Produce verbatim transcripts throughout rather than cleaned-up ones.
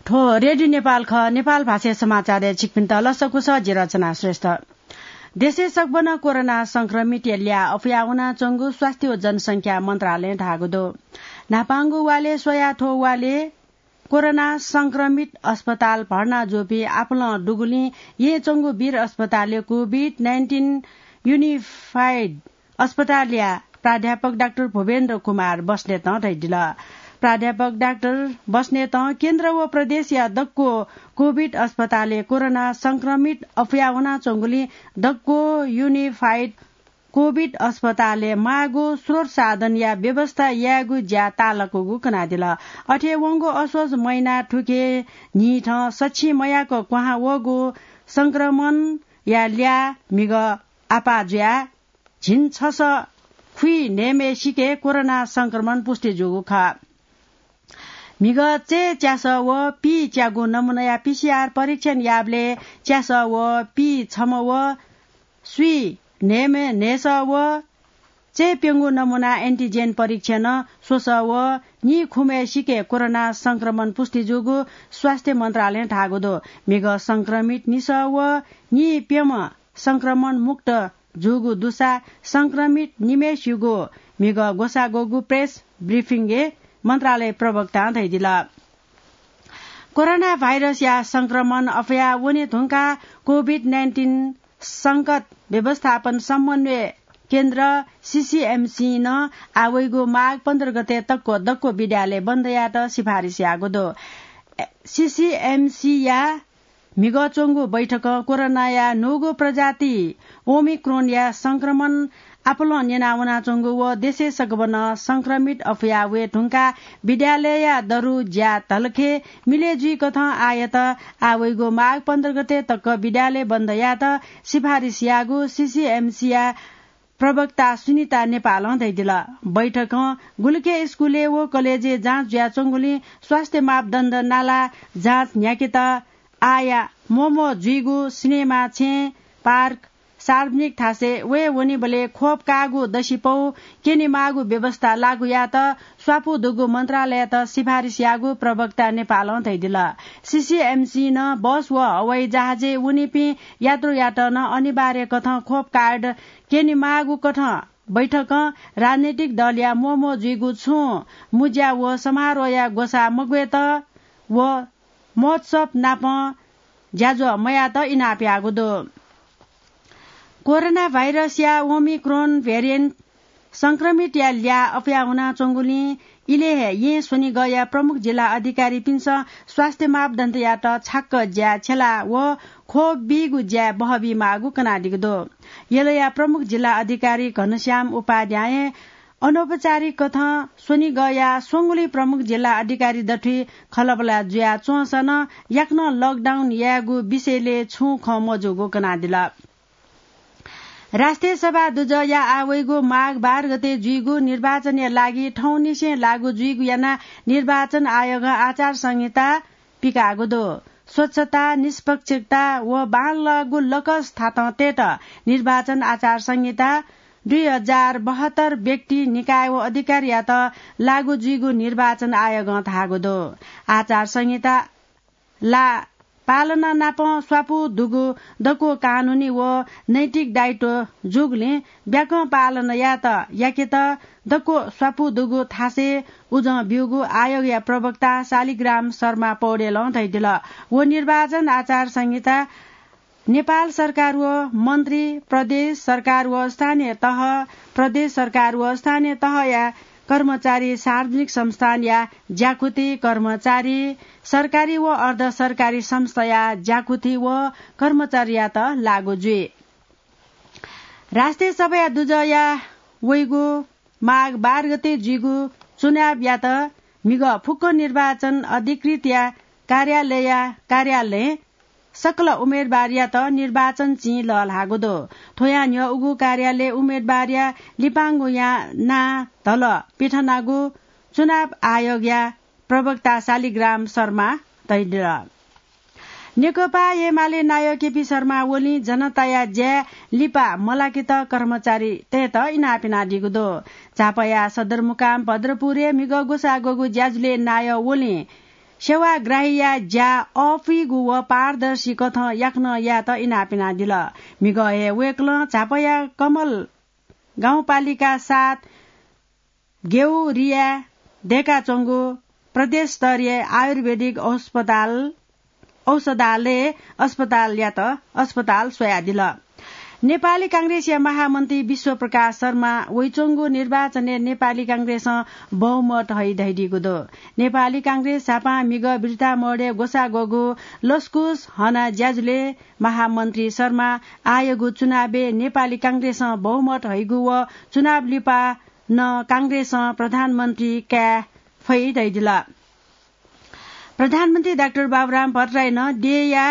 थ्व रेडियो नेपाल खः। नेपाल भाषाया समाचारय् छिकपिन्त लसकुस, जि रचना श्रेष्ठ। देशय् सकभनं कोरोना संक्रमितया ल्याः अफुया वनाच्वंगु स्वास्थ्य व जनसंख्या मन्त्रालयं धाःगु दु। न्हापांगु वालय् स्वयाः थ्व वालय् कोरोना संक्रमित अस्पताल भर्ना जूपिं आपालं दुगुलिं येँय् च्वंगु वीर अस्पतालय् COVID nineteen Unified अस्पतालया प्राध्यापक डाक्टर भूपेन्द्र कुमार बस्नेतं धयादिल। प्राध्यापक डाक्टर बस्नेतं केन्द्र व प्रदेशया दक्व COVID अस्पतालय् कोरोना संक्रमित अफुया वनाच्वंगुलिं दक्व Unified COVID अस्पतालय् माःगु स्रोत साधनया व्यवस्था यायेगु ज्या ताःलाकूगु कनादिल। अथे वंगु असोज महिना थुखे न्हिथं सछि मयाक क्वहां वःगु संक्रमणया ल्याः म्हिगः आपाः जुयाः झिंछसः खुइन्हय्म्हय्सिके कोरोना संक्रमण पुष्टि जूगु खः। म्हिगः चय् च्यासः व पीच्यागु नमूनाया PCR परीक्षण याःबलय् च्यासः व पीछम्ह व स्वीन्हय्म्ह न्हय्सः व चय् प्यंगु नमूना antigen परीक्षणं स्वसः व नीखुम्हय्सिके कोरोना संक्रमण पुष्टि जूगु स्वास्थ्य मन्त्रालयं धाःगु दु। म्हिगः संक्रमित निसः व नीप्यम्ह संक्रमण मुक्त जूगु दुसा संक्रमित निम्हय्सिगु म्हिगः ग्वसाः ग्वःगु press briefing-य् मन्त्रालय प्रवक्तां धयादिल। कोरोना भाइरसया संक्रमण अफुया वने धुंकाः COVID nineteen संकट व्यवस्थापन समन्वय केन्द्र, CCMC, नं आः वइगु माघ पन्ध्र गते तक दक्व विद्यालय बन्द यायेत सिफारिस याःगु दु। CCMC-या म्हिगः च्वंगु बैठकं कोरोनाया न्हूगु प्रजाति ओमिक्रोनया संक्रमण आपालं न्यना वनाच्वंगु व देशय् सकभनं संक्रमित अफुया वये धुंकाः विद्यालयया दरु ज्या धलखे मिले जुइकथं आःयात आः वइगु माघ पन्ध्र गते तक विद्यालय बन्द यायेत सिफारिस याःगु CCMC-या प्रवक्ता सुनिता नेपालं धयादिल। बैठकं गुलिखे स्कूलय् व कलेजय् जाँच जुयाच्वंगुलिं स्वास्थ्य मापदण्ड नाला जाँच न्ह्याकेत आःया म्वःम्वः जुइगु सिनेमा, छेँ, पार्क, सार्वजनिक थासय् वये वनीबलय् खोप काःगु दसिपौ क्यनेमाःगु व्यवस्था लागू यायेत स्वापू दुगु मन्त्रालययात सिफारिस याःगु प्रवक्ता नेपालं धयादिल। CCMC नं बस व हवाई जहाजय् वनीपिं यात्रुयात नं अनिवार्य कथं खोप कार्ड क्यनेमाःगु कथं बैठकं राजनैतिक दलया म्वःम्वः जुइगु छुं मुँज्या व समारोहया ग्वसाः मग्वयेत व महोत्सव नापं ज्याझ्वः मयायेत इनाप याःगु दु। कोरोना भाइरसया ओमिक्रोन भेरिएन्ट संक्रमितया ल्याः अफुया वनाच्वंगुलिं इलय् हे येँ स्वनिगःया प्रमुख जिल्ला अधिकारीपिन्सं स्वास्थ्य मापदण्डयात छाक्क ज्याय् छ्यला व खोप बीगु ज्याय् बहबी माःगु कनादीगु दु। यलया प्रमुख जिल्ला अधिकारी घनश्याम उपाध्यायं अनौपचारिक कथं स्वनिगःया स्वंगुलिं प्रमुख जिल्ला अधिकारी दथुइ खँल्हाबल्हा जुयाच्वंसा नं याकनं lockdown यायेगु विषयलय् छुं खँ मजूगु कनादिल। राष्ट्रिय सभा दुजःया आः वइगु माघ बाह्र गते जुइगु निर्वाचनया लागि थौंनिसें लागू जुइगु यानाः निर्वाचन आयोगं आचार संहिता पिकाःगु दु। स्वच्छता, निष्पक्षता व बांलाःगु लकस थातं तयेत निर्वाचन आचार संहिता दुई हजार बहत्तर व्यक्ति, निकाय व अधिकारयात लागू जुइगु निर्वाचन आयोगं धाःगु दु। आचार संहिता ला पालना नाप स्वापू दुगु दक्व कानूनी व नैतिक दायित्व जूगुलिं ब्याकं पालना यायेत याकेत दक्व स्वापू दुगु थासय् उजं ब्यूगु आयोगया प्रवक्ता शालिग्राम शर्मा पौडेलं धयादिल। व निर्वाचन आचार संहिता नेपाल सरकार व मन्त्री, प्रदेश सरकार व स्थानीय तह, प्रदेश सरकार व स्थानीय तहया कर्मचारी, सार्वजनिक संस्थानया ज्याकुथि कर्मचारी, सरकारी व अर्ध सरकारी संस्थाया ज्याकुथि व कर्मचारीयात लागू जुइ। राष्ट्रिय सभाया दुजःया वइगु माघ बाह्र गते जुइगु चुनावयात म्हिगः फुक्क निर्वाचन अधिकृतया कार्यालयया कार्यालयं सकल उम्मेदवारयात निर्वाचन चिं लःल्हाःगु दु। थ्वयां न्ह्यः उगु कार्यालय उम्मेदवारया लिपांगुया नां धल पिथनागु चुनाव आयोगया प्रवक्ता शालिग्राम शर्मा धयादिल। नेकपा एमाले नायः केपी शर्मा ओलीं जनताया ज्याय् लिपा मलाकेत कर्मचारीतय्त इनाप यानादीगु दु। झापाया सदरमुकाम भद्रपुरय् म्हिगः ग्वसाः ग्वःगु ज्याझ्वलय् नायः ओलीं सेवाग्राहीया ज्या अःपुइगु व पारदर्शी कथं याकनं यायेत इनाप यानादिल। म्हिगः हे वय्कलं झापाया कमल गाउँपालिका सात गेउरिया दय्काच्वंगु प्रदेश स्तरीय आयुर्वेदिक अस्पताल, औषधालय अस्पतालयात अस्पताल स्वयादिल। नेपाली कांग्रेसया महामन्त्री विश्वप्रकाश शर्मा वइच्वंगु निर्वाचनय् नेपाली कांग्रेसं बहुमत हइ धइदीगु दु। नेपाली कांग्रेस झापां म्हिगः बिर्ता मोडय् ग्वसाः ग्वःगु लसकुस हना ज्याझ्वलय् महामन्त्री शर्मा आःयागु चुनावय् नेपाली कांग्रेसं बहुमत हइगु व चुनाव लिपा नं कांग्रेसं प्रधानमन्त्री काये फइ धइदिल। प्रधानमन्त्री डाक्टर बाबुराम भट्टराईनं देय्या,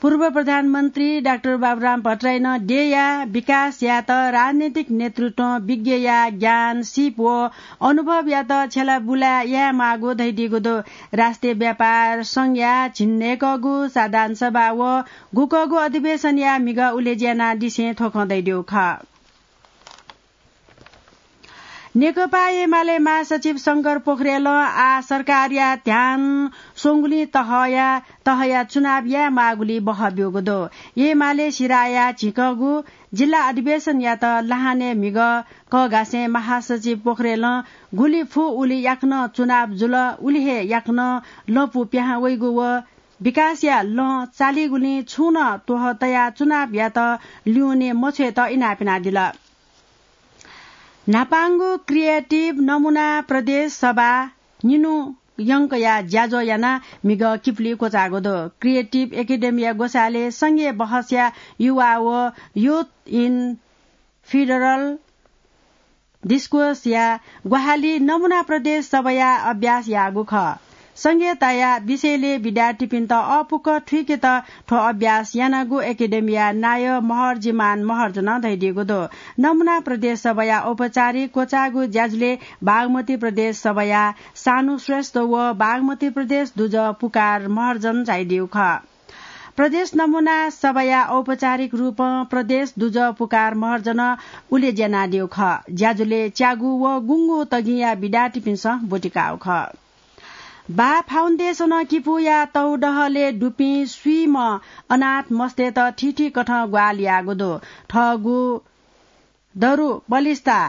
पूर्व प्रधानमन्त्री डाक्टर बाबुराम भट्टराईनं देय्या विकास यायेत राजनैतिक नेतृत्वं विज्ञया ज्ञान, सिप व अनुभवयात छ्यलाबुला यायेमाःगु धइदीगु दु। राष्ट्रिय व्यापार संघया झिंन्हय्कःगु साधारण सभा व गुकःगु अधिवेशनया म्हिगः उलेज्या यानादिसें थ्व खँ धइदीगु खः। नेकपा एमाले महासचिव शंकर पोखरेलं आः सरकारया ध्यान स्वंगुलिं तहया, तहया चुनाव यायेमाःगुली बहः ब्यूगु दु। एमाले सिराया झिंकःगु जिल्ला अधिवेशनयात लहानय् म्हिगः कःघासें महासचिव पोखरेलं गुलि फु उलि याकनं चुनाव जुल, उलि हे याकनं लँपु पिहां वइगु व विकासया लँ चालीगुलिं छुं नं त्वहः तयाः चुनावयात ल्यूने मछ्वयेत इनाप यानादिल। न्हापांगु क्रिएटिभ नमुना प्रदेश सभा निन्हु यंकया ज्याझ्वः यानाः म्हिगः किपुली क्वचाःगु दु। क्रिएटिभ एकेडेमीया ग्वसालय् संघीय बहसया युवा व Youth in Federal Discourse या ग्वाहालि नमुना प्रदेश सभाया अभ्यास याःगु खः। संघीयताया विषयलय् विद्यार्थीपिन्त अःपुक थुइकेत थ्व अभ्यास यानागु एकेडेमीया नायः महर्जिमान महर्जनं धयादीगु दु। नमुना प्रदेश सभाया औपचारिक क्वचाःगु ज्याझ्वलय् बागमती प्रदेश सभाया सानु श्रेष्ठ व बागमती प्रदेश दुजः पुकार महर्जन झायादीगु खः। प्रदेश नमुना सभाया औपचारिक रूपं प्रदेश दुजः पुकार महर्जन उलेज्या यानादीगु खः। ज्याझ्वलय् च्यागू व गुंगू तगिंया विद्यार्थीपिन्सं ब्वति काःगु खः। बा फाउन्डेसनं किपूया तःदहलय् दुपिं स्वीम्ह अनाथ मस्तय्त थीथी कथं ग्वाहालि याःगु दु। थःगु दरु बलिस्ता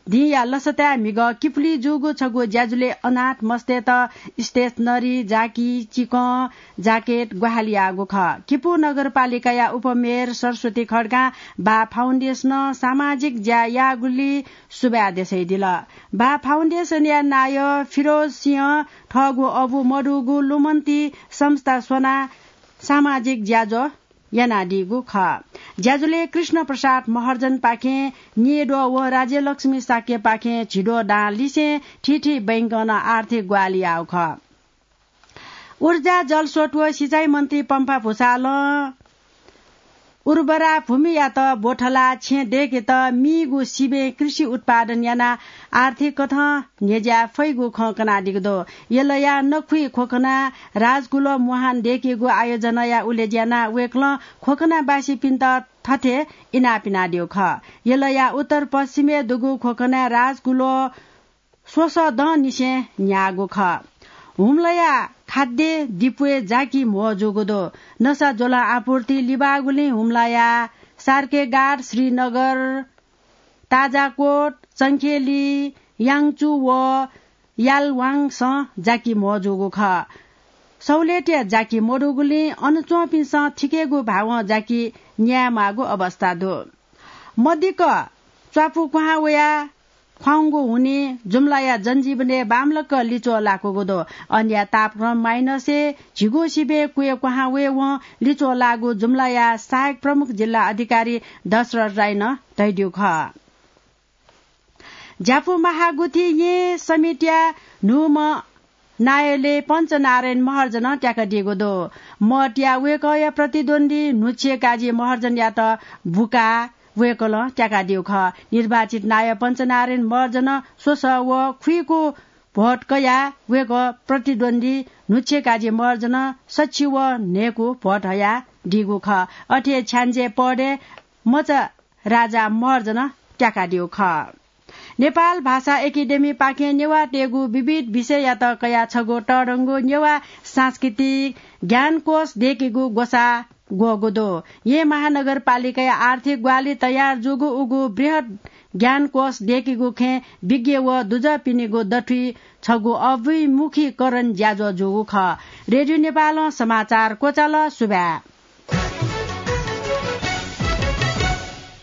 दिंया लसताय् म्हिगः किपुली जूगु छगू ज्याझ्वलय् अनाथ मस्तय्त stationery, जाकि, चिकं, jacket ग्वाहालि याःगु खः। किपू नगरपालिकाया उपमेयर सरस्वती खड्गां बा फाउन्डेसनं सामाजिक ज्या याःगुलि सुभाय् देछाइदिल। बा फाउन्डेसनया नायः फिरोज सिंहं थःगु अबु मदुगु लुमन्ति संस्था स्वनाः सामाजिक ज्याझ्वः यानादीगु खः। ज्याझ्वलय् कृष्ण प्रसाद महर्जनपाखें न्येद्वः व राज्यलक्ष्मी शाक्यपाखें झिद्वः दां लिसें थीथी बैंकं नं आर्थिक ग्वाहालि याःगु खः। ऊर्जा, जलस्रोत व सिँचाइ मन्त्री पम्फा भूषालं उर्वरा भूमियात ब्वथलाः छेँ दय्केत मीगु सिबें कृषि उत्पादन यानाः आर्थिक कथं न्ह्यज्याये फइगु खँ कनादीगु दु। यलया नखुइ ख्वखना राजकुल मुहान दय्केगु आयोजनाया उलेज्या यानाः वय्कलं ख्वखनावासीपिन्त थथे इनाप यानादीगु खः। यलया उत्तर पश्चिमय् दुगु ख्वखनाय् राजकुल स्वसः दँनिसें न्ह्याःगु खः। हुम्लाया खाद्य डिपुय् जाकि म्हो जूगु दु। नसा ज्वलं आपूर्ति लिबाःगुलिं हुम्लाया सार्केगाड, श्रीनगर, ताजाकोट, चंखेली, याङचु व यालवाङसं जाकि म्हो जूगु खः। सहुलियतया जाकि मदुगुलिं अन च्वंपिन्सं थिकेगु भावं जाकि न्यायेमाःगु अवस्था दु। मदिक्क च्वापु क्वहां वयाः ख्वाउँगु हुनिं जुम्लाया जनजीवनय् बांमलाक लिच्वः लाकूगु दु। अनया तापक्रम माइनसय् झिगू सिबें क्वय् क्वहां वयेवं लिच्वः लाःगु जुम्लाया सहायक प्रमुख जिल्ला अधिकारी दशरथ राईनं धयादीगु खः। ज्यापु महागुथि येँ समितिया न्हूम्ह नायःले पञ्चनारायण महर्जनं त्याकादीगु दु। मठया वय्कःया प्रतिद्वन्द्वी न्हुच्छे काजी महर्जनयात बुकाः वय्कलं त्याकादीगु खः। निर्वाचित नायः पञ्चनारायण महर्जनं स्वसः व खुइकू भोट कयाः वय्कः प्रतिद्वन्द्वी न्हुच्छे काजी महर्जनं सछि व न्हय्कू भोट हयादीगु खः। अथे हे छ्याञ्जे पदय् मचा राजा महर्जनं त्याकादीगु खः। नेपाल भाषा एकेडेमी पाखें नेवाःतय्गु विविध विषययात कयाः छगू तःधंगु नेवाः सांस्कृतिक ज्ञानकोश दय्केगु ग्वसाः ग्वःगु दु। येँ महानगरपालिकाया आर्थिक ग्वाहालि तयार जूगु उगु बृहत् ज्ञानकोश दय्केगु खँय् विज्ञ व दुजःपिनिगु दथुइ छगू अभिमुखीकरण ज्याझ्वः जूगु खः। रेडियो नेपालं समाचार क्वचाल। सुभाय्।